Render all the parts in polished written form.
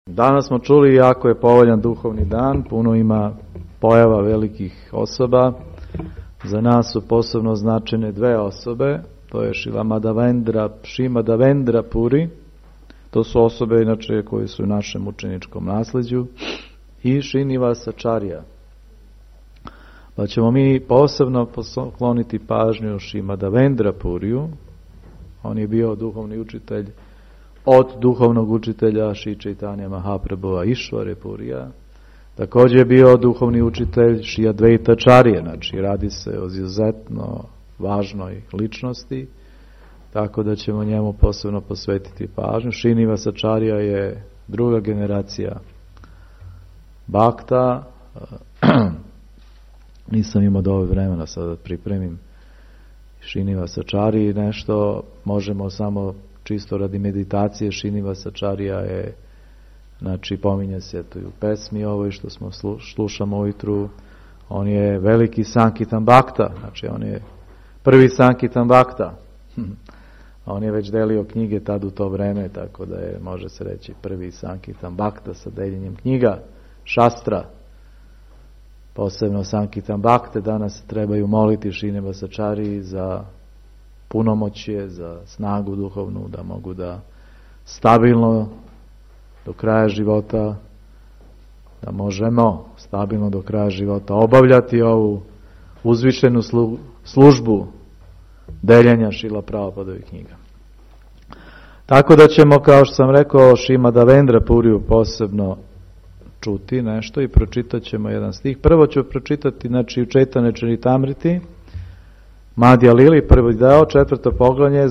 Danas smo čuli jako je povoljan duhovni dan, puno ima pojava velikih osoba. Za nas su posebno značajne dve osobe, to je Šimadavendra Puri, to su osobe inače koje su u našem učeničkom nasleđu, i Šinivasačarija. Pa ćemo mi posebno pokloniti pažnju Šimadavendra Puriju. On je bio duhovni učitelj od duhovnog učitelja Šri Čaitanja Mahaprabhua Išvare Purija. Također je bio duhovni učitelj Šri Advaitačarije, znači radi se o izuzetno važnoj ličnosti, tako da ćemo njemu posebno posvetiti pažnju. Šinivasačarija je druga generacija Bhakta. Nisam imao dovoljno vremena sada da pripremim Šinivasačariji nešto, možemo samo čisto radi meditacije. Šinivasačarija je, znači pominje se to i u pesmi ovoj što smo slušamo ujutru, on je veliki Sankirtan Bhakta, znači on je prvi Sankirtan Bhakta. On je već delio knjige tad u to vreme, tako da je, može se reći, prvi Sankirtan Bhakta sa deljenjem knjiga, šastra. Posebno Sankirtan Bhakte danas trebaju moliti Šinivasačariji za punomoćje, za snagu duhovnu, da mogu da stabilno do kraja života, da možemo stabilno do kraja života obavljati ovu uzvišenu službu deljenja Šrila Prabhupadovih knjiga. Tako da ćemo, kao što sam rekao, Šimadavendra Puriju posebno čuti nešto i pročitat ćemo jedan stih. Prvo ću pročitati, znači, u Čaitanya Charitamriti, Madhya Lili, prvi deo, 4. poglavlje,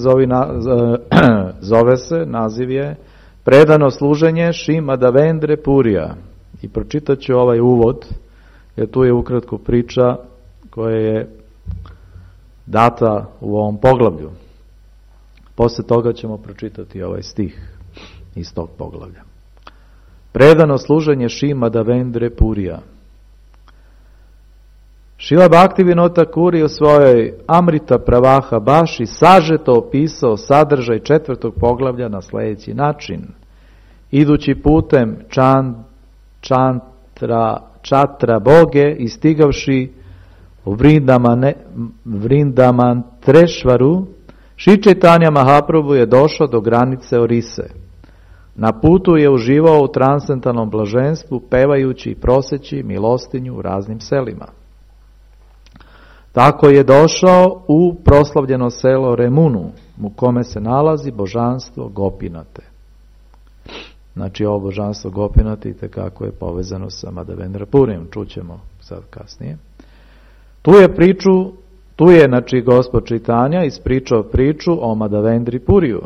zove se, naziv je Predano služenje Šimadavendre Purija. I pročitat ću ovaj uvod, jer tu je ukratko priča koja je data u ovom poglavlju. Posle toga ćemo pročitati ovaj stih iz tog poglavlja. Predano služenje Šimadavendre Purija. Šrila Bhaktivinoda Thakur je u svojoj Amrita Pravaha Baši sažeto opisao sadržaj 4. poglavlja na sljedeći način. Idući putem Čatra Boge i stigavši u Vrindamantrešvaru, Šri Čaitanja Mahaprabhu je došao do granice Orise. Na putu je uživao u transcendentalnom blaženstvu, pevajući i proseći milostinju u raznim selima. Tako je došao u proslavljeno selo Remunu, u kome se nalazi božanstvo Gopinate. Znači, ovo božanstvo Gopinate itekako je povezano sa Madhavendra Purijem, čućemo sad kasnije. Tu je znači Gospod Čaitanja ispričao priču o Madhavendri Puriju,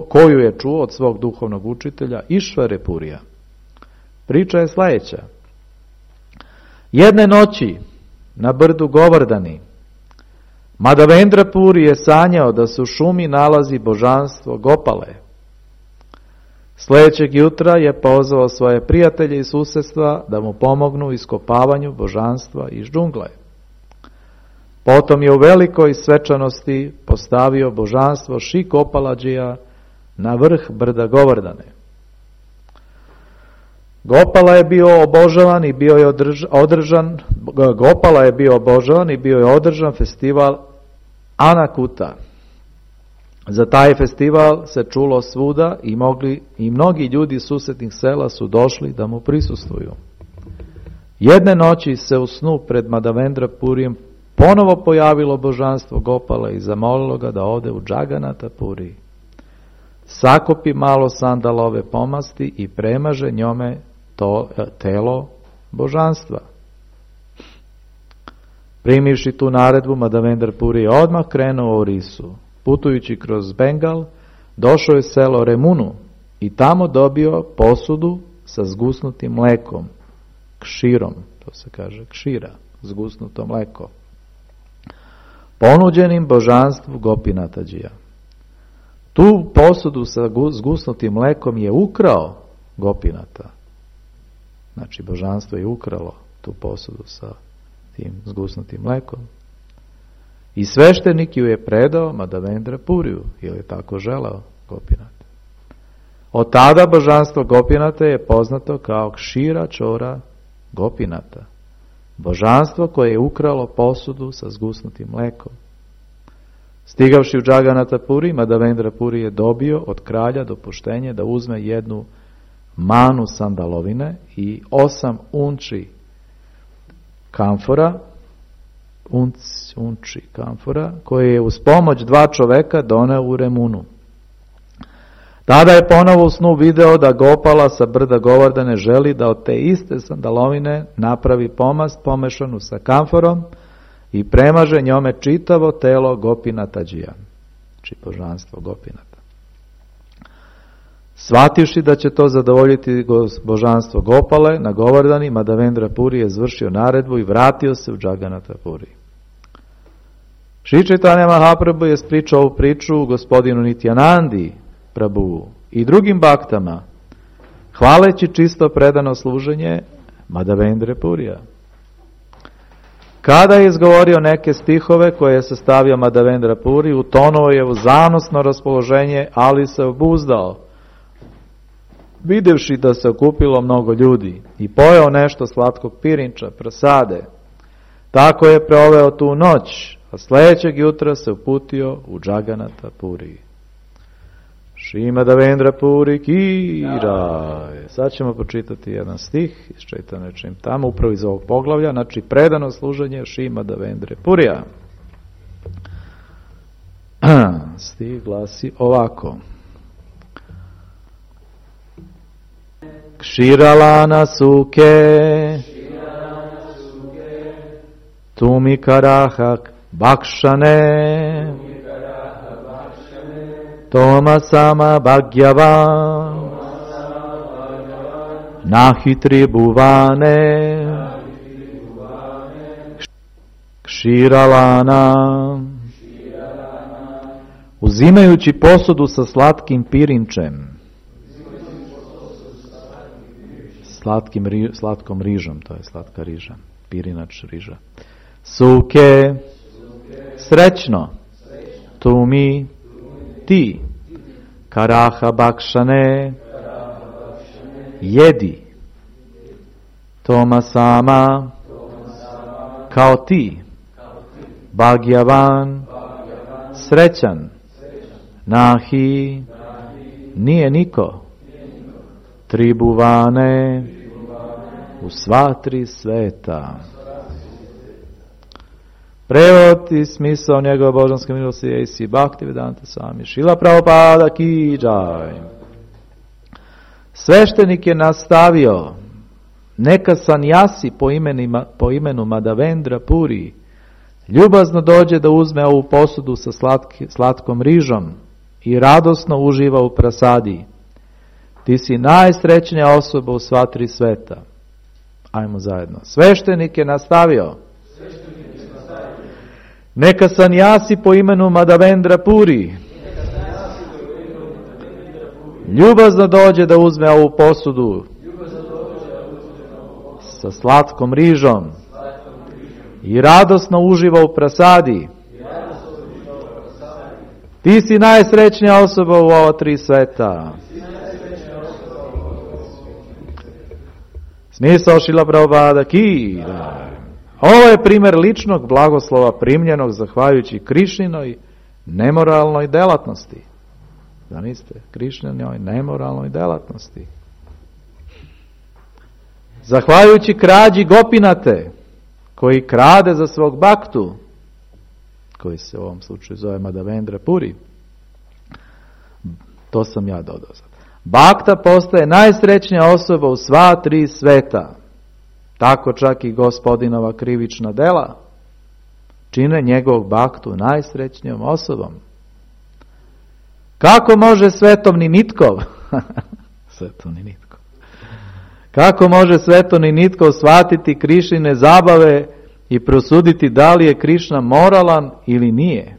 koju je čuo od svog duhovnog učitelja Išvare Purija. Priča je sljedeća. Jedne noći na brdu Govardhani Madhavendra Puri je sanjao da se u šumi nalazi božanstvo Gopale. Sljedećeg jutra je pozvao svoje prijatelje iz susjedstva da mu pomognu u iskopavanju božanstva iz džungle. Potom je u velikoj svečanosti postavio božanstvo Šri Gopaladžija na vrh brda Govardhane. Gopala je bio obožavan i bio je održan festival Anakuta. Za taj festival se čulo svuda i mnogi ljudi susjednih sela su došli da mu prisustvuju. Jedne noći se u snu pred Madhavendra Purijem ponovo pojavilo božanstvo Gopala i zamolilo ga da ode u Džaganata Puri. Sakupi malo sandalove pomasti i premaže njome telo božanstva. Primivši tu naredbu, Madhavendra Puri je odmah krenuo u Orisu. Putujući kroz Bengal, došao je selo Remunu i tamo dobio posudu sa zgusnutim mlekom, kširom, to se kaže kšira, zgusnuto mleko, ponuđenim božanstvu Gopinatađija. Tu posudu sa zgusnutim mlekom je ukrao Gopinata. Znači, božanstvo je ukralo tu posudu sa tim zgusnutim mlekom. I sveštenik ju je predao Madhavendra Puriju, jer je tako želeo Gopinata. Od tada božanstvo Gopinata je poznato kao Kšira Čora Gopinata. Božanstvo koje je ukralo posudu sa zgusnutim mlekom. Stigavši u Džaganata Puri, Madhavendra Puri je dobio od kralja dopuštenje da uzme jednu manu sandalovine i 8 unči kamfora, unči kamfora, koje je uz pomoć 2 čoveka doneo u Remunu. Tada je ponovo u snu video da Gopala sa brda Govardhane želi da od te iste sandalovine napravi pomast pomešanu sa kamforom i premaže njome čitavo telo Gopinatađija, či božanstvo Gopinata. Shvativši da će to zadovoljiti božanstvo Gopale na Govardhani, Madhavendra Puri je izvršio naredbu i vratio se u Džaganata Puri. Šri Čaitanja Mahaprabhu je ispričao ovu priču gospodinu Nityanandi Prabhu i drugim baktama, hvaleći čisto predano služenje Madhavendra Purija. Kada je izgovorio neke stihove koje je sastavio Madhavendra Puri, utonuo je u zanosno raspoloženje, ali se obuzdao, videvši da se okupilo mnogo ljudi, i pojeo nešto slatkog pirinča, prasade. Tako je proveo tu noć, a sljedećeg jutra se uputio u Džaganata Puri. Šri Madhavendra Puri ki jai. Sad ćemo pročitati jedan stih iz Čaitanja Čaritamrita, upravo iz ovog poglavlja, znači predano služenje Šri Madhavendra Purija. Stih glasi ovako. Kširalana suke tumi karahak bakšane Tomasama Bhagyavan Nahi Tribhuvane Kširalana. Uzimajući posudu sa slatkim pirinčem, slatkom rižom, to je slatka riža, pirinač riža. Suke, srećno, tumi, ti, karaha bakšane, jedi, Tomasama, kao ti, Bhagyavan, srećan, nahi, nije niko, Tribhuvane, u sva 3 sveta. Prevod i smisao njegove božanske milosti je A.C. Bhaktivedanta Swami Srila Prabhupada ki jai. Sveštenik je nastavio, neka sanjasi po imenu Madhavendra Puri ljubazno dođe da uzme ovu posudu sa slatkom rižom i radosno uživa u prasadi. Ti si najsrećnija osoba u sva 3 sveta. Ajmo zajedno. Sveštenik je nastavio, neka sanjasi po imenu Madhavendra Puri ljubazno dođe da uzme ovu posudu sa slatkom rižom i radosno uživa u prasadi. Ti si najsrećnija osoba u ova 3 sveta. Smisao Šrila Prabhupada ki jai. Ovo je primjer ličnog blagoslova primljenog zahvaljujući Krišninoj nemoralnoj delatnosti. Zamislite, Krišninoj nemoralnoj delatnosti. Zahvaljujući krađi Gopinate, koji krade za svog baktu, koji se u ovom slučaju zove Madhavendra Puri, to sam ja dodao sad. Bakta postaje najsrećnija osoba u sva 3 sveta. Tako čak i gospodinova krivična dela čine njegovog baktu najsrećnijom osobom. Kako može svetovni Nitkov svetovni Nitkov kako može svetovni Nitkov shvatiti Krišnine zabave i prosuditi da li je Krišna moralan ili nije?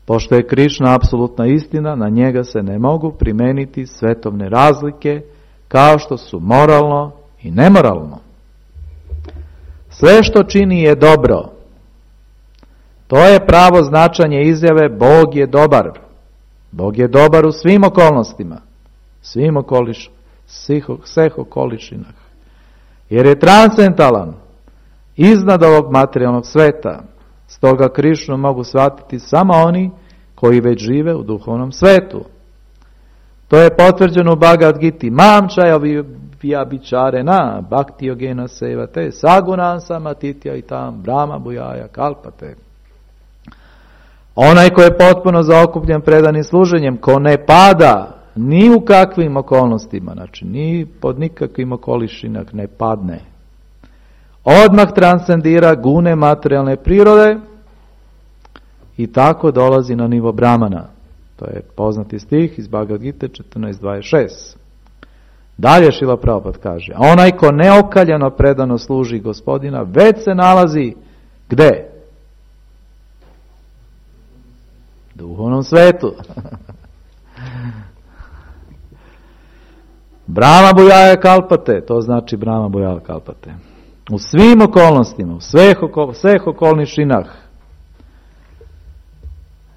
Pošto je Krišna apsolutna istina, na njega se ne mogu primeniti svetovne razlike kao što su moralno i nemoralno. Sve što čini je dobro. To je pravo značenje izjave Bog je dobar. Bog je dobar u svim okolnostima, svih okolišinah. Jer je transcendentalan, iznad ovog materijalnog sveta. Stoga Krišnu mogu shvatiti samo oni koji već žive u duhovnom svetu. To je potvrđeno u Bhagavad Giti. Mam čaja vyabičarena bhakti yogena sevate sagunan samatitya itam brahma bujaja kalpate. Onaj ko je potpuno zaokupljen predanim služenjem, ko ne pada ni u kakvim okolnostima, znači ni pod nikakvim okolišinak ne padne, odmah transcendira gune materijalne prirode i tako dolazi na nivo Brahmana. To je poznati stih iz Bhagavad Gite 14.26. Dalje Šrila Prabhupada kaže, onaj ko neokaljano predano služi Gospodina, već se nalazi gde? Duhovnom svetu. Brahma bujaja kalpate, to znači Brahma bujaja kalpate. U svim okolnostima, u sveh okolnišinah,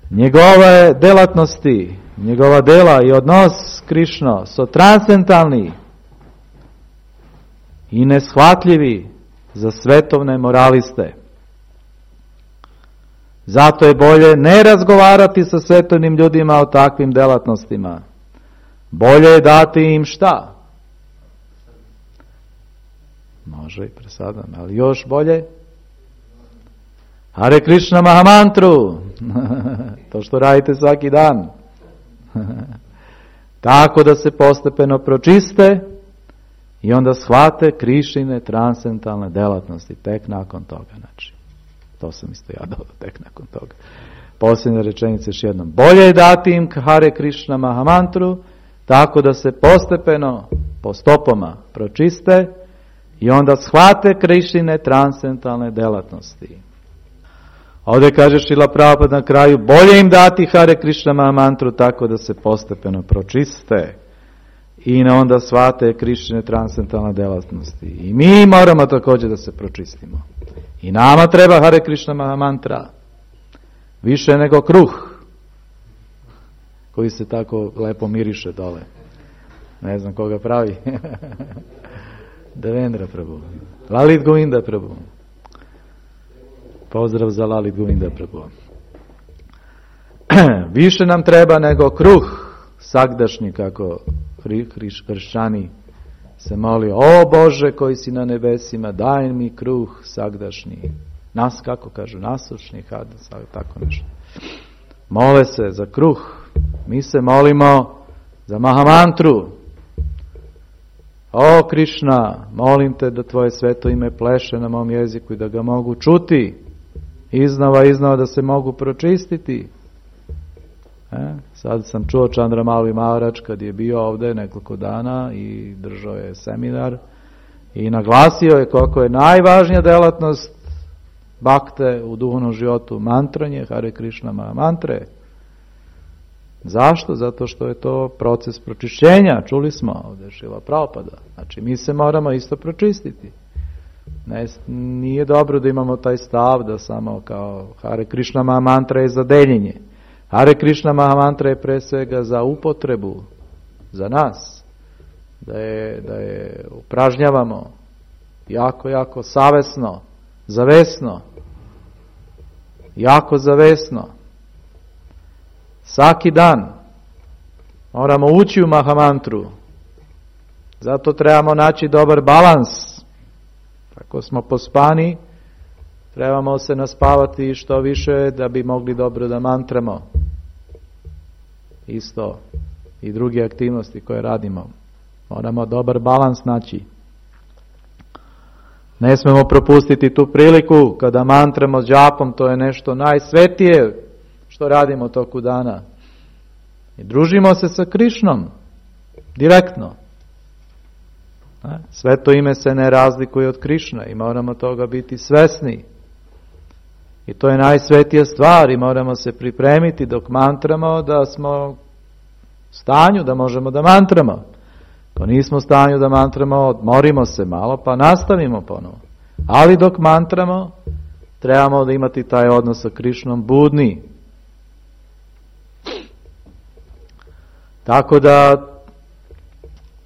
njegove delatnosti, njegova dela i odnos Krišno su transcendentalni i neshvatljivi za svetovne moraliste. Zato je bolje ne razgovarati sa svetovnim ljudima o takvim delatnostima. Bolje je dati im šta? Može i presadam, ali još bolje? Hare Krishna Mahamantru. To što radite svaki dan. Tako da se postepeno pročiste i onda shvate Krišine transcendentalne delatnosti. Tek nakon toga, znači. To sam isto ja dodao, tek nakon toga. Posljednja rečenica još jednom. Bolje je dati im Hare Krishna Mahamantru, tako da se postepeno, po stopama pročiste i onda shvate Krišine transcendentalne delatnosti. Ovdje kaže Šrila Prabhupada na kraju, bolje im dati Hare Krishna Mahamantru tako da se postepeno pročiste i onda shvate Krišine transcendentalne delatnosti. I mi moramo također da se pročistimo. I nama treba Hare Krishna Mahamantra više nego kruh koji se tako lepo miriše dole. Ne znam koga pravi. Devendra Prabhu. Lalit Govinda Prabhu. Pozdrav za Lalit Govinda Prabhu. Više nam treba nego kruh sagdašnji, kako kršćani se moli, o Bože koji si na nebesima, daj mi kruh sagdašnji. Nas, kako kažu, nasušni, tako nešto. Mole se za kruh. Mi se molimo za Mahamantru. O Krišna, molim te da tvoje sveto ime pleše na mom jeziku i da ga mogu čuti. Iznova da se mogu pročistiti. Sad sam čuo Čandramauli Maharač kad je bio ovdje nekoliko dana i držao je seminar i naglasio je koliko je najvažnija delatnost bakte u duhovnom životu mantranje, Hare Krishna mantre. Zašto? Zato što je to proces pročišćenja, čuli smo ovdje Šrila Prabhupada. Znači mi se moramo isto pročistiti. Nije dobro da imamo taj stav da samo kao Hare Krishna mantra je za deljenje. Hare Krishna Mahamantra je pre svega za upotrebu, za nas, da je upražnjavamo jako savesno, zavesno, jako zavesno. Svaki dan moramo ući u Mahamantru, zato trebamo naći dobar balans. Ako smo pospani, trebamo se naspavati što više da bi mogli dobro da mantramo. Isto i druge aktivnosti koje radimo. Moramo dobar balans naći. Ne smemo propustiti tu priliku kada mantramo s džapom, to je nešto najsvetije što radimo toku dana. I družimo se sa Krišnom direktno. Sveto ime se ne razlikuje od Krišna i moramo toga biti svesni. I to je najsvetija stvar i moramo se pripremiti dok mantramo da smo u stanju da možemo da mantramo. Ako nismo u stanju da mantramo, odmorimo se malo pa nastavimo ponovo. Ali dok mantramo, trebamo da imati taj odnos sa Krišnom budni. Tako da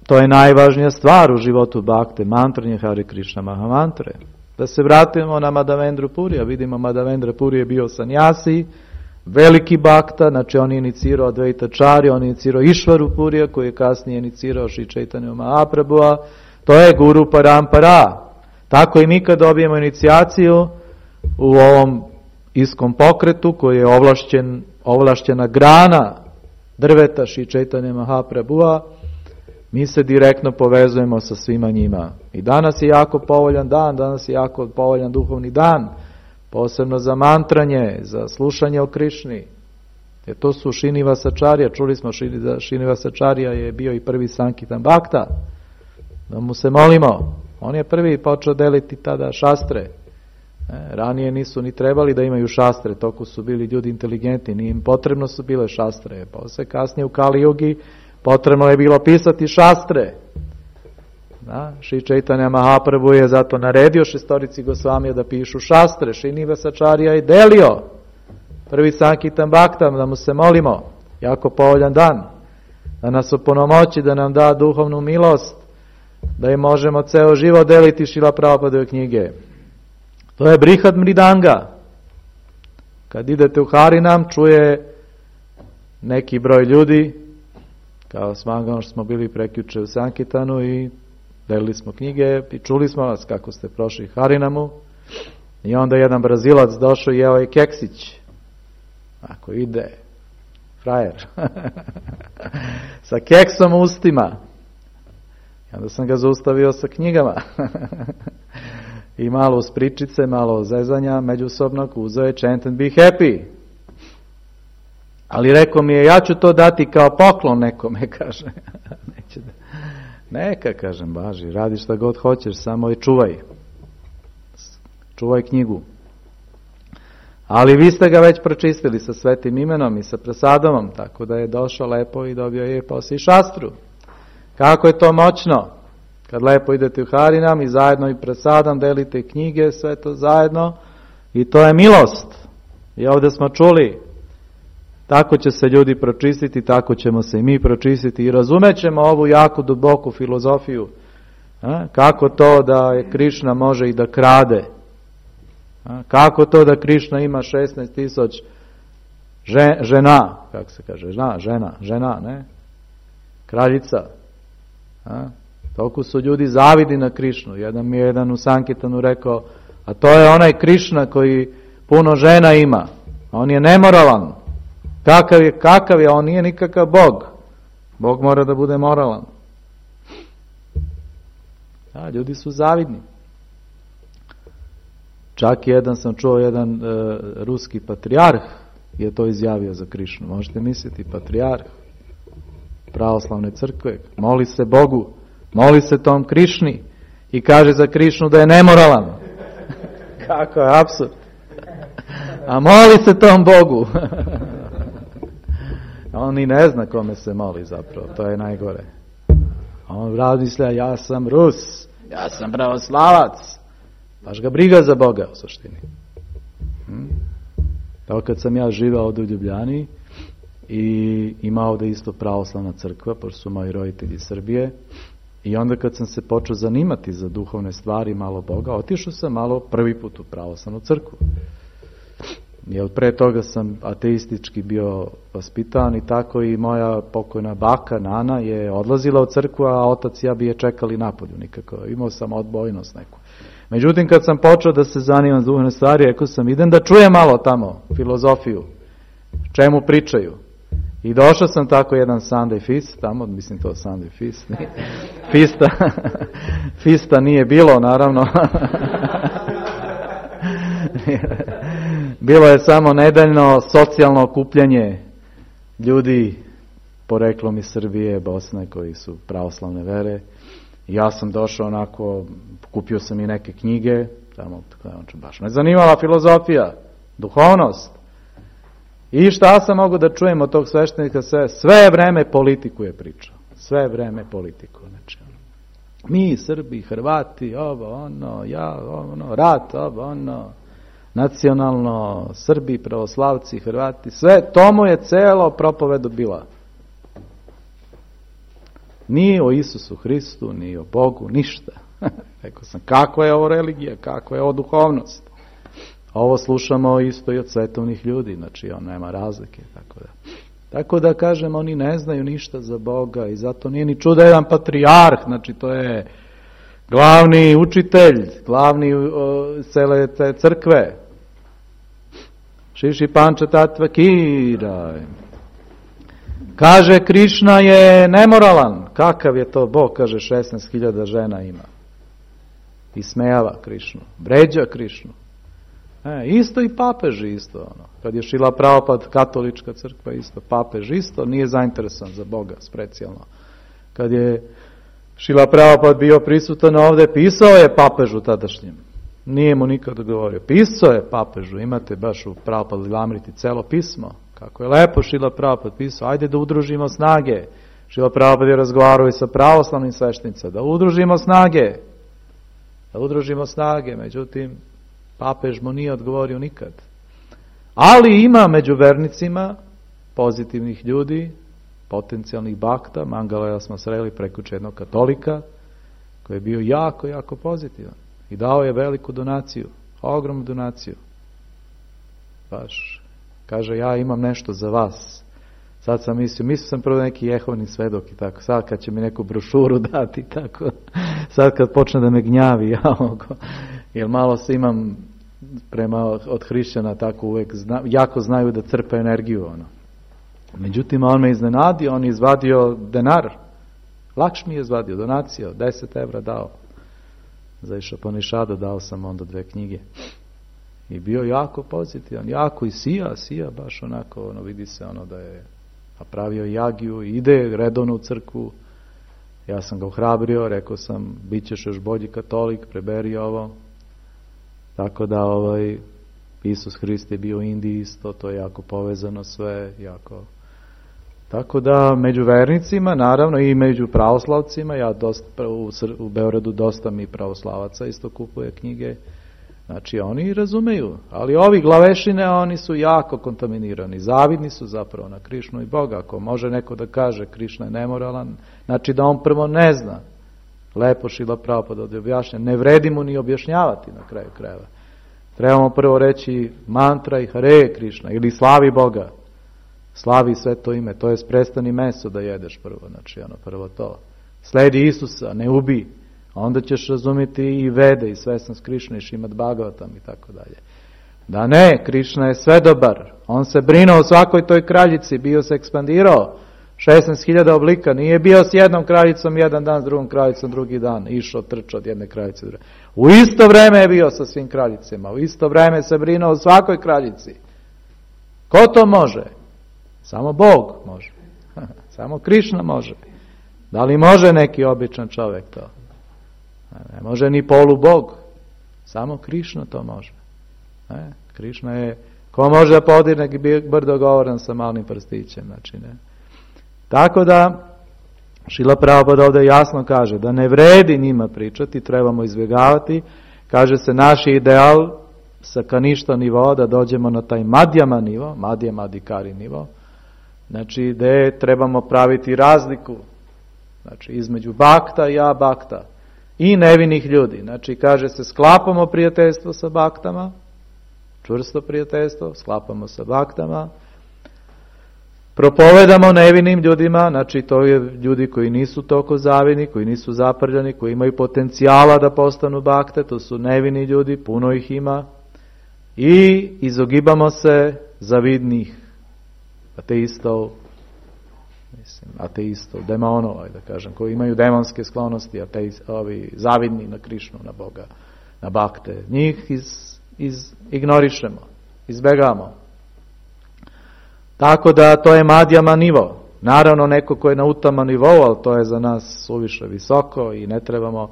to je najvažnija stvar u životu bakte, mantranje Hare Krishna Mahamantre. Da se vratimo na Madhavendra Purija, vidimo Madhavendra Puri je bio sanjasi, veliki bakta, znači on je inicirao Advaita Čarju, on je inicirao Išvaru Purija, koji je kasnije inicirao Šri Chaitanya Mahaprabhua, to je Guru Parampara. Tako i mi kad dobijemo inicijaciju u ovom iskom pokretu, koji je ovlašćena grana drveta Šri Chaitanya Mahaprabhua, mi se direktno povezujemo sa svima njima. I danas je jako povoljan dan, danas je jako povoljan duhovni dan, posebno za mantranje, za slušanje o Krišni. Jer to su Šrinivasačarija, čuli smo da Šrinivasačarija je bio i prvi Sankitan Bhakta, da mu se molimo. On je prvi počeo deliti tada šastre. Ranije nisu ni trebali da imaju šastre, toko su bili ljudi inteligentni, nije im potrebno su bile šastre. Posle kasnije u Kali Jugi potrebno je bilo pisati šastre. Šri Chaitanya Mahaprabhu je zato naredio šestorici Gosvamija da pišu šastre. Šrinivasačarija je delio prvi Sankitan Bhakta, da mu se molimo. Jako povoljan dan. Da nas opunomoći, da nam da duhovnu milost, da im možemo ceo život deliti Šrila Prabhupadove knjige. To je Brihad Mridanga. Kad idete u Harinam, čuje neki broj ljudi, kao smagano što smo bili prekjuče u Sankitanu i delili smo knjige i čuli smo vas kako ste prošli Harinamu. I onda jedan Brazilac došao i jeo je keksić. Ako ide, frajer. Sa keksom u ustima. I onda sam ga zaustavio sa knjigama. I malo uz pričice, malo zezanja međusobnog, uzeo je chant and be happy. Ali rekao mi je, ja ću to dati kao poklon nekome, kaže. Neće da... Neka, kažem, važi, radi šta god hoćeš, samo je čuvaj. Čuvaj knjigu. Ali vi ste ga već pročistili sa svetim imenom i sa prasadom, tako da je došao lepo i dobio je poslije šastru. Kako je to moćno? Kad lepo idete u Harinam i zajedno i prasadom delite knjige, sve to zajedno, i to je milost. I ovdje smo čuli, tako će se ljudi pročistiti, tako ćemo se i mi pročistiti i razumećemo ovu jako duboku filozofiju. Kako to da je Krišna može i da krade? Kako to da Krišna ima 16,000 žena, kako se kaže, žena, ne? Kraljica. Toliko su ljudi zavidi na Krišnu. Jedan u Sankitanu rekao, a to je onaj Krišna koji puno žena ima. On je nemoralan. Kakav je? On nije nikakav Bog. Bog mora da bude moralan. Ljudi su zavidni. Čak sam čuo jedan ruski patrijarh je to izjavio za Krišnu. Možete misliti, patrijarh pravoslavne crkve, moli se Bogu, moli se tom Krišni i kaže za Krišnu da je nemoralan. Kako je apsurd. A moli se tom Bogu. On ni ne zna kome se moli zapravo, to je najgore. On razmišlja, ja sam Rus, ja sam pravoslavac. Baš ga briga za Boga u suštini. Tako kad sam ja živao ovdje u Ljubljani i imao ovdje isto pravoslavna crkva, pošto su moji roditelji iz Srbije, i onda kad sam se počeo zanimati za duhovne stvari, malo Boga, otišao sam malo prvi put u pravoslavnu crkvu. Jer pre toga sam ateistički bio vaspitan i tako i moja pokojna baka, Nana, je odlazila u crkvu, a otac i ja bi je čekali napolju nikako. Imao sam odbojnost neku. Međutim, kad sam počeo da se zanimam za duhovne stvari, rekao sam, idem da čujem malo tamo filozofiju, čemu pričaju. I došao sam tako jedan Sunday feast, tamo, mislim to Sunday feast, Fista nije bilo, naravno. Bilo je samo nedeljno socijalno okupljanje ljudi poreklom iz Srbije, Bosne, koji su pravoslavne vere. I ja sam došao onako, kupio sam i neke knjige, tamo, baš me zanimala filozofija, duhovnost. I šta sam mogu da čujem od tog sveštenika, sve vreme politiku je pričao. Sve vreme politiku. Znači, mi, Srbi, Hrvati, rat, nacionalno, Srbi, pravoslavci, Hrvati, sve, to mu je celo propovedu bila. Nije o Isusu Hristu, ni o Bogu, ništa. Rekao sam, kakva je ovo religija, kakva je ovo duhovnost. Ovo slušamo isto i od svetovnih ljudi, znači on nema razlike. Tako da kažem, oni ne znaju ništa za Boga i zato nije ni čudo jedan patrijarh, znači to je glavni učitelj, glavni cele te crkve. Šiši Panča Tatva Kiraj. Kaže, Krišna je nemoralan. Kakav je to Bog? Kaže, 16.000 žena ima. I smejava Krišnu. Vređa Krišnu. Isto i papež isto. Kad je Šila Prabhupad, katolička crkva isto, papež isto, nije zainteresovan za Boga specijalno. Kad je Šila Prabhupad bio prisutan ovdje, pisao je papežu tadašnjem. Nije mu nikad govorio. Pisao je papežu, imate baš u Prabhupad Lilamriti celo pismo. Kako je lepo Šila Prabhupad pisao, ajde da udružimo snage. Šila Prabhupad je razgovarao i sa pravoslavnim sveštenicima, da udružimo snage. Da udružimo snage, međutim, papež mu nije odgovorio nikad. Ali ima među vernicima pozitivnih ljudi, potencijalnih bakta. Mangalaja smo sreli preko jednog katolika, koji je bio jako, jako pozitivan. I dao je veliku donaciju, ogromnu donaciju. Baš, kaže, ja imam nešto za vas. Sad sam mislio sam prvo neki Jehovni svedok i tako. Sad kad će mi neku brošuru dati, tako. Sad kad počne da me gnjavi, jer malo se imam prema od hrišćana tako uvek, jako znaju da crpe energiju. Međutim, on me iznenadio, on je izvadio denar. Lakšmi je izvadio, donaciju, 10 evra dao. Za Išapanišada dao sam onda 2 knjige. I bio jako pozitivan, jako i sija baš onako, vidi se da je napravio jagiju, ide redovno u crkvu. Ja sam ga ohrabrio, rekao sam, bit ćeš još bolji katolik, preberi ovo. Tako da Isus Hrist je bio u Indiji isto, to je jako povezano sve, jako. Tako da među vernicima, naravno i među pravoslavcima, ja u Beogradu dosta mi pravoslavaca isto kupuje knjige, znači oni razumeju, ali ovi glavešine, oni su jako kontaminirani, zavidni su zapravo na Krišnu i Boga. Ako može neko da kaže Krišna je nemoralan, znači da on prvo ne zna. Lepo Šila Prabhupada ovdje objašnja, ne vredi mu ni objašnjavati na kraju krajeva. Trebamo prvo reći mantra i Hare Krišna ili slavi Boga. Slavi sve to ime, to je prestani meso da jedeš prvo, znači prvo to. Sledi Isusa, ne ubi, onda ćeš razumjeti i Vede i svestan s Krišna i Šimad Bhagavatam i tako dalje. Da ne, Krišna je sve dobar, on se brinuo o svakoj toj kraljici, bio se ekspandirao, 16.000 oblika, nije bio s jednom kraljicom jedan dan, s drugom kraljicom drugi dan, išao, trčao od jedne kraljice do druge. U isto vreme je bio sa svim kraljicima, u isto vreme se brinuo o svakoj kraljici. Ko to može? Samo Bog može. Samo Krišna može. Da li može neki običan čovjek to? Ne može ni polubog. Samo Krišna to može. Krišna je, ko može da podigne brdo govoran sa malim prstićem, znači ne. Tako da, Šila Prabhupada ovdje jasno kaže da ne vredi njima pričati, trebamo izbjegavati. Kaže se, naš ideal sa kaništa nivoa da dođemo na taj madjama nivo, madjama adikari nivo, znači gdje trebamo praviti razliku, znači između bakta i abakta i nevinih ljudi. Znači kaže se, sklapamo prijateljstvo sa baktama, čvrsto prijateljstvo, sklapamo sa baktama, propovedamo nevinim ljudima, znači to je ljudi koji nisu toliko zavidni, koji nisu zaprljani, koji imaju potencijala da postanu bakte, to su nevini ljudi, puno ih ima, i izogibamo se zavidnih ateistov, demonova, da kažem, koji imaju demonske sklonosti, ovi zavidni na Krišnu, na Boga, na bakte. Njih ignorišemo, izbegamo. Tako da to je madjama nivo. Naravno neko ko je na utama nivou, ali to je za nas suviše visoko i ne trebamo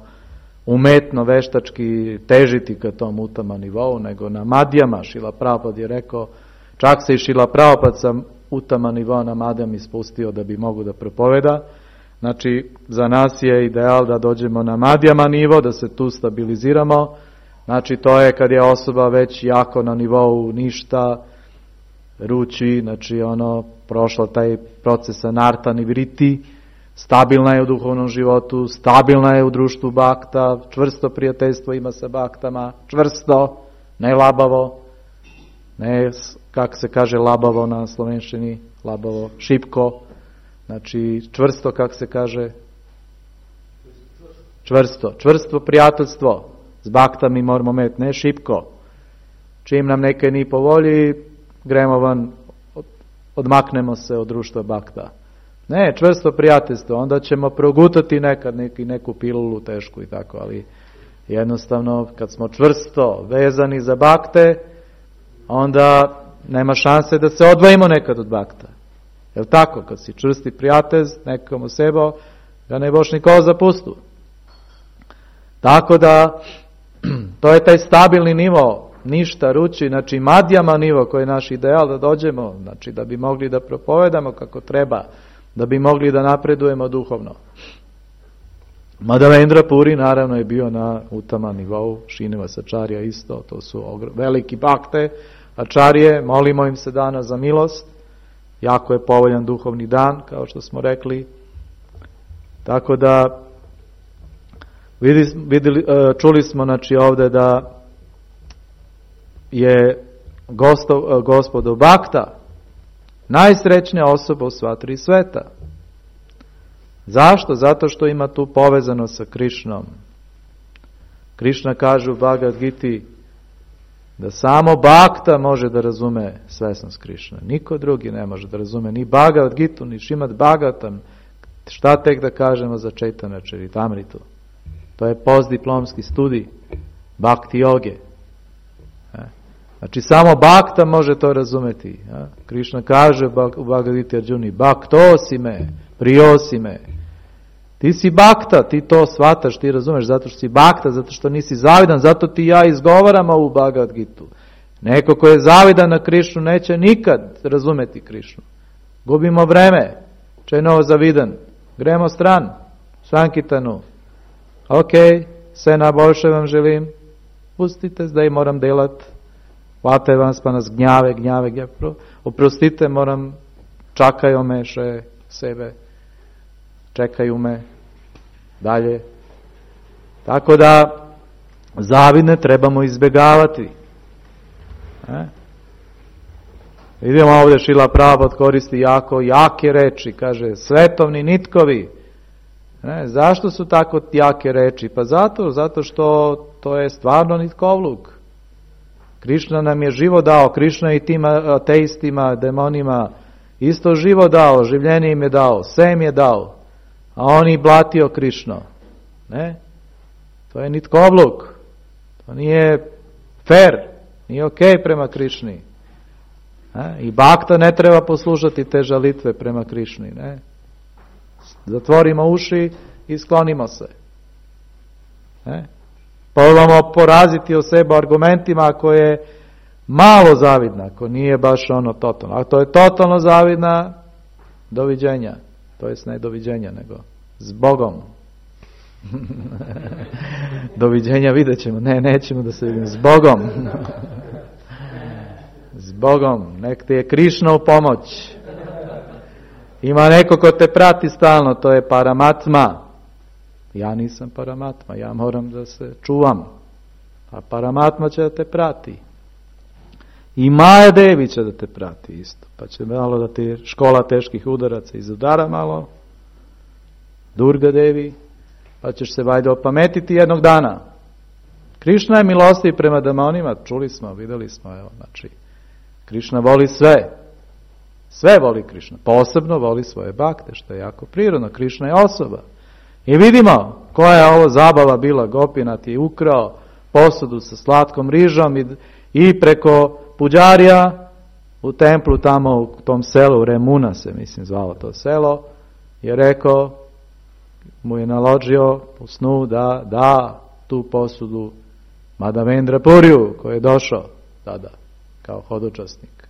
umetno, veštački težiti ka tom utama nivou, nego na madjama. Šila Prabhupada je rekao, čak se i Šila Prabhupada sa utama nivoa na madjama ispustio da bi mogu da propoveda. Znači, za nas je ideal da dođemo na madjama nivo, da se tu stabiliziramo. Znači, to je kad je osoba već jako na nivou ništa, ruči, znači prošla taj proces anarta nivriti, stabilna je u duhovnom životu, stabilna je u društvu bakta, čvrsto prijateljstvo ima sa baktama, čvrsto, ne labavo, ne, kako se kaže labavo na slovenščini, labavo, šipko, znači čvrsto, kako se kaže, čvrsto prijateljstvo, s baktami moramo imeti, ne šipko, čim nam nekaj ni po volji, gremo van, odmaknemo se od društva bakta. Ne, čvrsto prijateljstvo, onda ćemo progutati nekad neku pilulu tešku i tako, ali jednostavno kad smo čvrsto vezani za bakte, onda nema šanse da se odvojimo nekad od bakta. Jel tako? Kad si čvrsti prijatelj nekom sebo, ga ne boš nikoga zapustu. Tako da, to je taj stabilni nivo, ništa ruči, znači madjama nivo koji je naš ideal da dođemo, znači da bi mogli da propovedamo kako treba, da bi mogli da napredujemo duhovno. Madhavendra Puri naravno je bio na utama nivou, Srinivasa Acharya isto, to su veliki bakte, Acharye, molimo im se danas za milost, jako je povoljan duhovni dan, kao što smo rekli, tako da čuli smo znači ovdje da je gospodo bakta najsrećnija osoba u sva tri sveta. Zašto? Zato što ima tu povezano sa Krišnom. Krišna kaže u Bhagavad Giti da samo bakta može da razume svesnost Krišne. Niko drugi ne može da razume ni Bhagavad Gitu, ni Šrimad Bhagavatam. Šta tek da kažemo za Chaitanya Charitamritu? To je postdiplomski studij bhakti joge. Znači samo bakta može to razumeti. Krišna kaže u Bhagavad Giti Arjuni, baktosi me, priosi me. Ti si bakta, ti to shvataš, ti razumeš, zato što si bakta, zato što nisi zavidan, zato ti ja izgovaram ovu Bhagavad Gitu. Neko ko je zavidan na Krišnu neće nikad razumeti Krišnu. Gubimo vreme, čeno zavidan, gremo stran, Sankitanu. Ok, sve najboljše vam želim, pustite, zdaj moram delat, hvatajo vas pa nas gnjave, oprostite, moram, čakajo me še sebe, čekaju me dalje. Tako da zavidne trebamo izbjegavati. Vidimo ovdje Šrila Prabhupada koristi jako jake reči, kaže svetovni nitkovi. Zašto su tako jake reči? Pa zato što to je stvarno nitkovluk. Krišna nam je živo dao, Krišna i tim ateistima, demonima isto živo dao, življenje im je dao, sve im je dao, a on i blatio Krišno. Ne? To je nitkovluk. To nije fair, nije ok prema Krišni. I bakta ne treba poslušati te žalitve prema Krišni. Ne? Zatvorimo uši i sklonimo se. Probamo poraziti o sebe argumentima ako je malo zavidna, ako nije baš ono totalno. Ako to je totalno zavidna, doviđenja. To jest ne doviđenja, nego s Bogom. Doviđenja vidjet ćemo. Ne, nećemo da se vidimo. S Bogom. S Bogom. Nek ti je Krišna u pomoć. Ima neko ko te prati stalno, to je Paramatma. Ja nisam Paramatma, ja moram da se čuvam. A Paramatma će da te prati. I Maja Devi će da te prati isto. Pa će malo da ti škola teških udaraca izudara malo. Durga Devi. Pa ćeš se valjda opametiti jednog dana. Krišna je milostiv prema demonima, čuli smo, videli smo, evo, znači, Krišna voli sve. Sve voli Krišna. Posebno voli svoje bakte, što je jako prirodno. Krišna je osoba. I vidimo koja je ovo zabava bila. Gopinath je ukrao posudu sa slatkom rižom i preko puđarija u templu tamo u tom selu, Remuna se mislim zvalo to selo, je rekao, mu je naložio u snu da tu posudu Madhavendra Puriju koji je došao tada kao hodočasnik.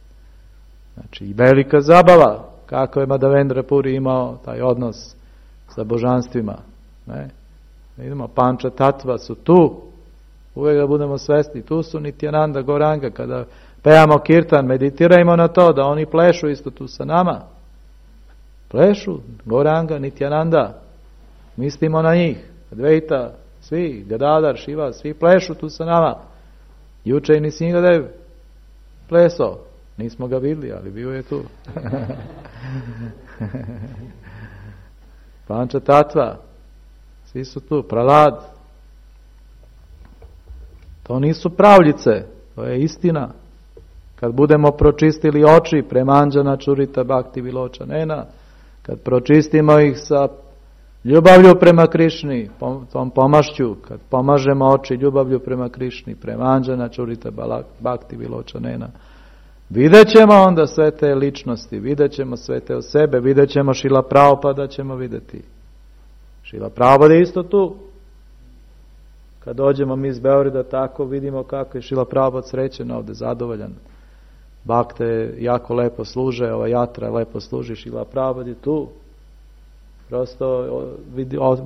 Znači i velika zabava kako je Madhavendra Puri imao taj odnos sa božanstvima. Ne? Vidimo, Panča Tatva su tu, uvijek da budemo svesni, tu su Nityananda, Goranga, kada pevamo kirtan, meditirajmo na to, da oni plešu isto tu sa nama. Plešu, Goranga, Nityananda, mislimo na njih, Advaita, svi, Gadadhar, Šiva, svi plešu tu sa nama. Juče i Nisingadev pleso, nismo ga vidjeli, ali bio je tu. Panča Tatva, svi su tu, Pralad. To nisu pravljice, to je istina. Kad budemo pročistili oči prema Anđana Čurita Bhakti Viločanena, kad pročistimo ih sa ljubavlju prema Krišni, tom pomašću, kad pomažemo oči ljubavlju prema Krišni, prema Anđana Čurita Bhakti Viločanena, vidjet ćemo onda sve te ličnosti, vidjet ćemo sve te o sebe, vidjet ćemo Šrila Prabhupada ćemo vidjeti. Šrila Prabhupada je isto tu. Kad dođemo mi iz Beograda, tako vidimo kako je Šrila Prabhupada srećen ovdje, zadovoljan. Bakte jako lepo služe, ova jatra lepo služi, Šrila Prabhupada je tu. Prosto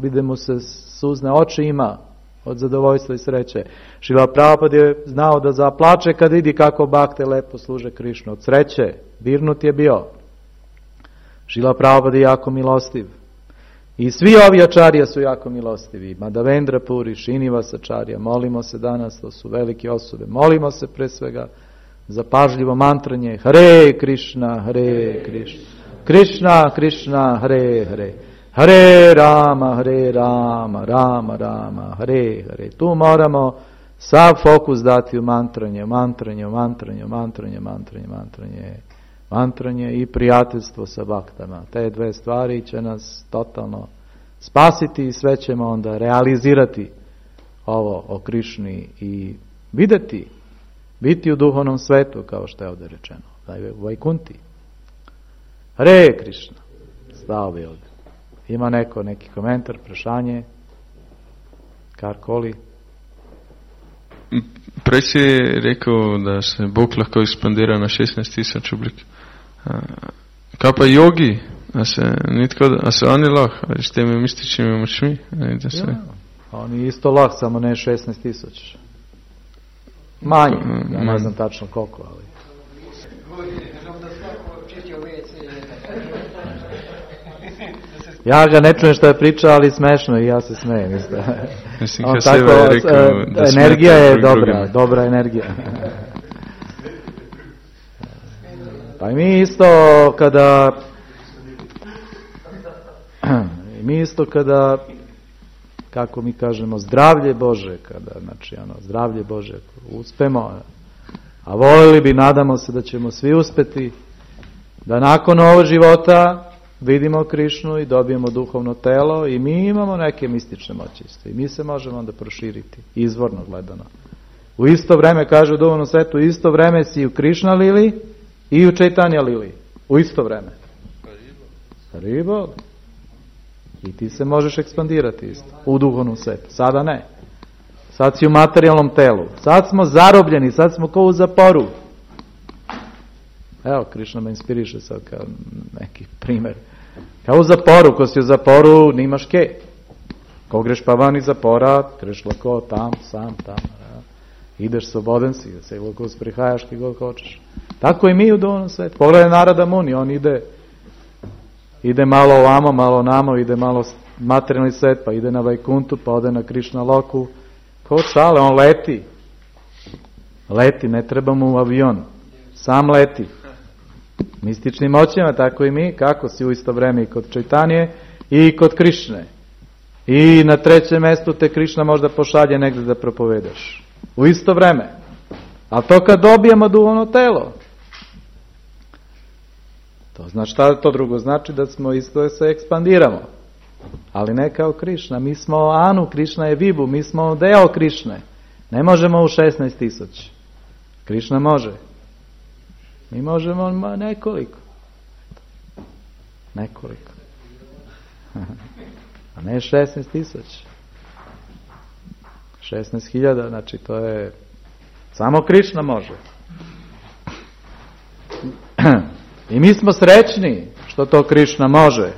vide mu se suzne oči ima od zadovoljstva i sreće. Šrila Prabhupada je znao da zaplače kad vidi kako bakte lepo služe Krišnu. Od sreće, virnut je bio. Šrila Prabhupada je jako milostiv. I svi ovi ačarija su jako milostivi. Madhavendra Puri, Srinivasa ačarija, molimo se danas, to su velike osobe. Molimo se pre svega za pažljivo mantranje Hare Krishna, Hare Krishna, Krishna Krishna, Hare Hare, Hare Rama, Rama Rama, Hare Hare. Tu moramo sav fokus dati u mantranje i prijateljstvo sa baktama. Te dve stvari će nas totalno spasiti i sve ćemo onda realizirati ovo o Krišni i vidjeti, biti u duhovnom svetu, kao što je ovdje rečeno, u Vajkunti. Hare Krišna. Stao bi ovdje. Ima neki komentar, prašanje, karkoli? Preći je rekao da se Bog lahko ekspandira na 16,000 oblik. Kaj pa jogi? A se oni lahko? Ali s temi mističnimi močmi? Ja, oni isto lahko, samo ne 16,000. Manje, ja ne znam tačno koliko, ali... Ja ga ne čujem što je pričao, ali smešno i ja se smejem. Energija je dobra energija. Pa i mi isto kada kako mi kažemo zdravlje Bože, zdravlje Bože uspemo, a voljeli bi, nadamo se da ćemo svi uspeti, da nakon ovog života vidimo Krišnu i dobijemo duhovno telo i mi imamo neke mistične moći isto. I mi se možemo onda proširiti, izvorno gledano. U isto vreme, kaže u duhovnom svetu, u isto vreme si u Krišna lili i u Čaitanja lili. U isto vreme. Haribo. I ti se možeš ekspandirati isto u duhovnom svetu. Sada ne. Sad si u materijalnom telu. Sad smo zarobljeni, sad smo kao u zaporu. Evo, Krišna me inspiriše sad kao neki primjer. Kao u zaporu, ko si u zaporu, nimaš ke. Ko greš pa van iz zapora, greš lako tam, sam, tam. Ja. Ideš slobodan si, se lako sprihajaš ki god hoćeš. Tako i mi u duhovnom svetu. Pogledaj Narada Muni, on ide malo ovamo, malo namo, ide malo materijalni svet, pa ide na Vajkuntu, pa ode na Krišna Loku. Kao šale, on leti. Leti, ne treba mu avion. Sam leti. Mističnim moćima, tako i mi, kako si u isto vreme i kod Čaitanije i kod Krišne. I na trećem mjestu te Krišna možda pošalje negdje da propovedaš. U isto vreme. Ali to kad dobijemo duhovno telo. To znači šta to drugo? Znači da smo isto se ekspandiramo. Ali ne kao Krišna. Mi smo Anu, Krišna je Vibu, mi smo deo Krišne. Ne možemo u 16,000. Krišna može. Mi možemo nekoliko. Nekoliko. A ne 16,000. 16,000, znači to je... Samo Krišna može. I mi smo srećni što to Krišna može.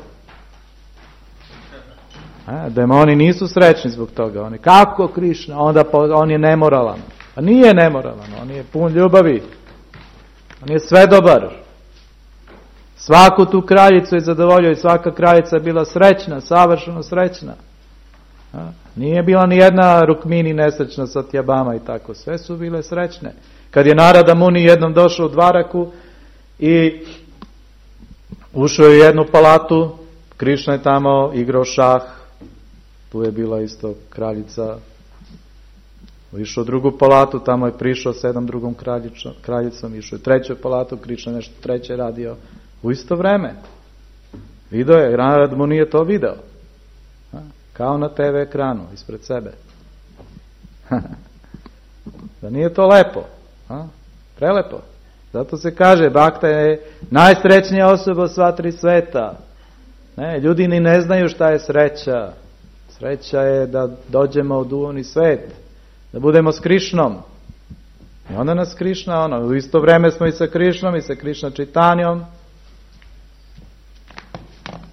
Demoni nisu srećni zbog toga. Oni, kako Krišna? Onda on je nemoralan. A nije nemoralan, on je pun ljubavi. On je sve dobar. Svaku tu kraljicu je zadovoljio i svaka kraljica je bila srećna, savršeno srećna. Nije bila ni jedna Rukmini nesrećna sa Tjabama i tako. Sve su bile srećne. Kad je Narada Muni jednom došao u Dvaraku i ušao je u jednu palatu, Krišna je tamo igrao šah, tu je bila isto kraljica. Išao u drugu palatu, tamo je prišao s jednom drugom kraljicom, išao u treću palatu, Krišna nešto treće radio. U isto vreme. Video je, Narada Muni je to video. Kao na TV ekranu, ispred sebe. Da nije to lepo? Prelepo. Zato se kaže, Bhakta je najsrećnija osoba u sva tri sveta. Ljudi ni ne znaju šta je sreća. Sreća je da dođemo u duhovni svet. Da budemo s Krišnom. I onda nas Krišna, u isto vreme smo i sa Krišnom i sa Krišna Čitanjom.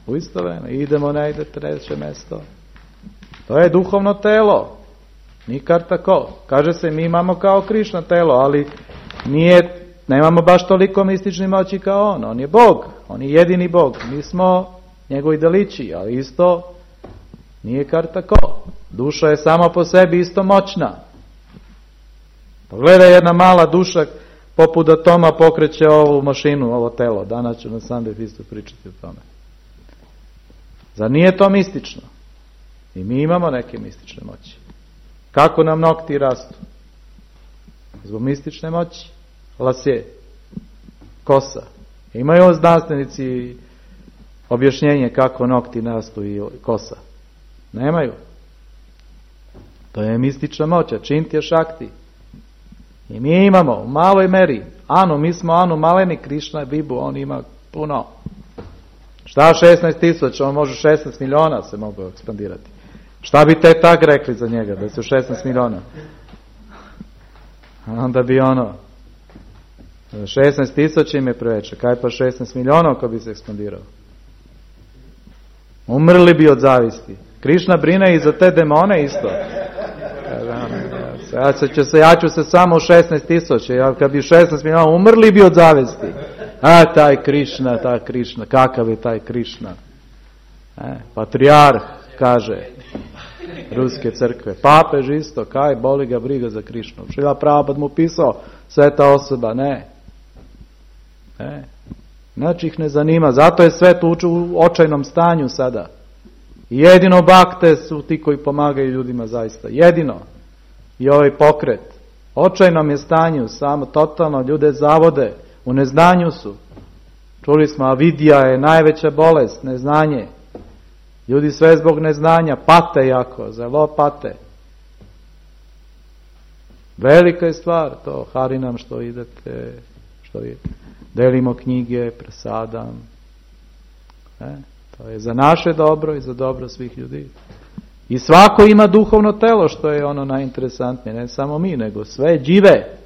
U isto vreme. Idemo negde treće mesto. To je duhovno telo. Nikad tako. Kaže se, mi imamo kao Krišna telo, ali nemamo baš toliko mistični moći kao on. On je Bog. On je jedini Bog. Mi smo njegovi delići, ali isto nije kar tako. Duša je sama po sebi isto moćna. Pogledaj, jedna mala duša poput atoma pokreće ovu mašinu, ovo telo. Danas ću na Sunday isto pričati o tome. Zar nije to mistično? I mi imamo neke mistične moći. Kako nam nokti rastu? Zbog mistične moći. Lasje. Kosa. Imaju znanstvenici objašnjenje kako nokti rastu i kosa? Nemaju. To je mistična moć, čintja šakti. I mi imamo u maloj meri. Mi smo Anu maleni, Krišna je Bibu, on ima puno. Šta 16,000, on može 16 miliona se mogu ekspandirati. Šta bi te tak rekli za njega, da su 16 miliona? Onda bi 16,000 im je preveće, kaj pa 16 miliona ako bi se ekspandirao? Umrli bi od zavisti. Krišna brine i za te demone isto. Ja ću se samo 16,000, kad bi 16 miliona umrli bi od zavisti. Taj Krišna, kakav je taj Krišna? Patrijarh, kaže Ruske crkve. Papež isto, kaj boli ga briga za Krišnu. Šrila Prabhupada mu pisao, sveta osoba, ne. Znači ih ne zanima, zato je svet u očajnom stanju sada. Jedino Bhakte su ti koji pomagaju ljudima zaista. Jedino. I ovaj pokret. Očajnom je stanju, samo totalno ljude zavode. U neznanju su. Čuli smo, avidija je najveća bolest, neznanje. Ljudi sve zbog neznanja pate jako, zelo pate. Velika je stvar to, Harinam što idete, delimo knjige, presadam. To je za naše dobro i za dobro svih ljudi. I svako ima duhovno telo, što je ono najinteresantnije, ne samo mi, nego sve džive.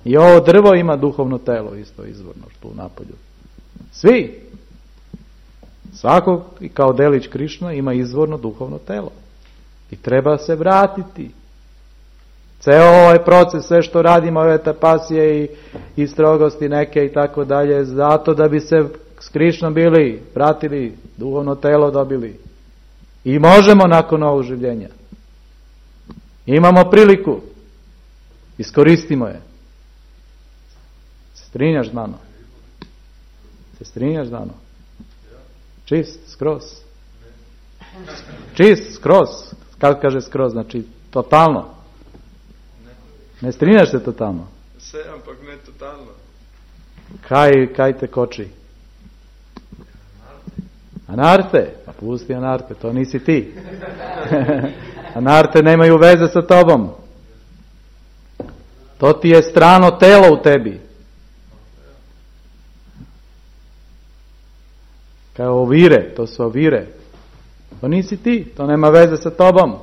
I ovo drvo ima duhovno telo, isto izvorno, što u napolju. Svi. Svako, kao delić Krišna, ima izvorno duhovno telo. I treba se vratiti. Ceo ovaj proces, sve što radimo, ove tapasije i strogosti neke i tako dalje, zato da bi se s Krišnom bili, vratili, duhovno telo dobili. I možemo nakon ovog življenja. Imamo priliku. Iskoristimo je. Se strinjaš, Dano? Se strinjaš, Dano? Čist, skroz. Čist, skroz. Kako kaže skroz? Znači, totalno. Ne strinjaš se totalno? Se, ampak ne totalno. Kaj te koči? Anarte? Pa pusti Anarte, to nisi ti. Anarte nemaju veze sa tobom. To ti je strano telo u tebi. Kao ovire, to su ovire. To nisi ti, to nema veze sa tobom.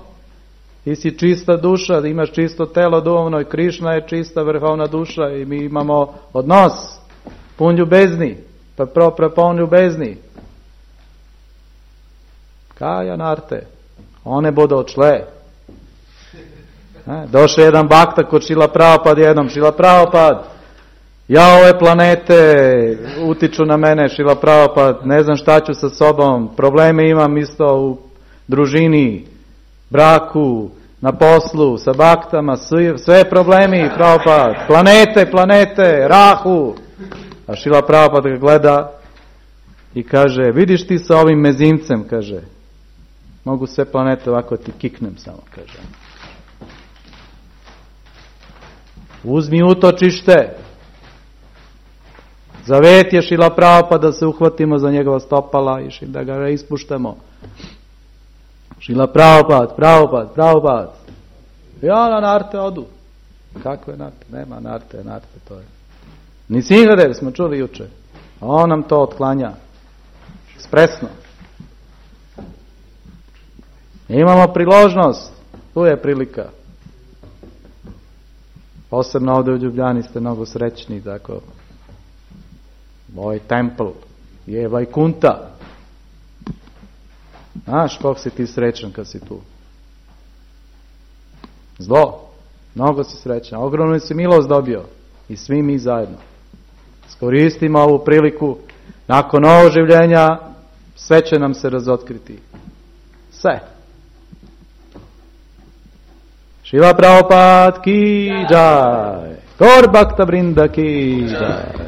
Ti si čista duša, imaš čisto telo duhovno i Krišna je čista vrhovna duša i mi imamo odnos pun ljubezni, prepun ljubezni. Kaj Anarte? One bodo odšle. Došao jedan bakta kod Šrila Prabhupada jednom. Šrila Prabhupada, ja ove planete utiču na mene, Šrila Prabhupada, ne znam šta ću sa sobom, probleme imam isto u družini, braku, na poslu, sa baktama, sve problemi, Prabhupada, planete, rahu. A Šrila Prabhupada ga gleda i kaže, vidiš ti sa ovim mezimcem, kaže, mogu sve planete ovako ti kiknem samo, kaže. Uzmi utočište. Zavet je Šrila Prabhupada da se uhvatimo za njegova stopala i da ga ispuštamo. Šrila Prabhupada. Ja na narte odu. Kakve narte? Nema narte, to je. Ni Singadev smo čuli juče. A on nam to otklanja. Ekspresno. Imamo priložnost. Tu je prilika. Posebno ovdje u Ljubljani ste mnogo srećni, tako. Moj templ je Vajkunta. Znaš koliko si ti srećan kad si tu. Zlo. Mnogo si srećan. Ogromnu si milost dobio. I svi mi zajedno. Iskoristimo ovu priliku. Nakon ovog življenja sve će nam se razotkriti. Sve. Šrila Prabhupada ki jai. Gaur Bhakta Vrinda ki jai.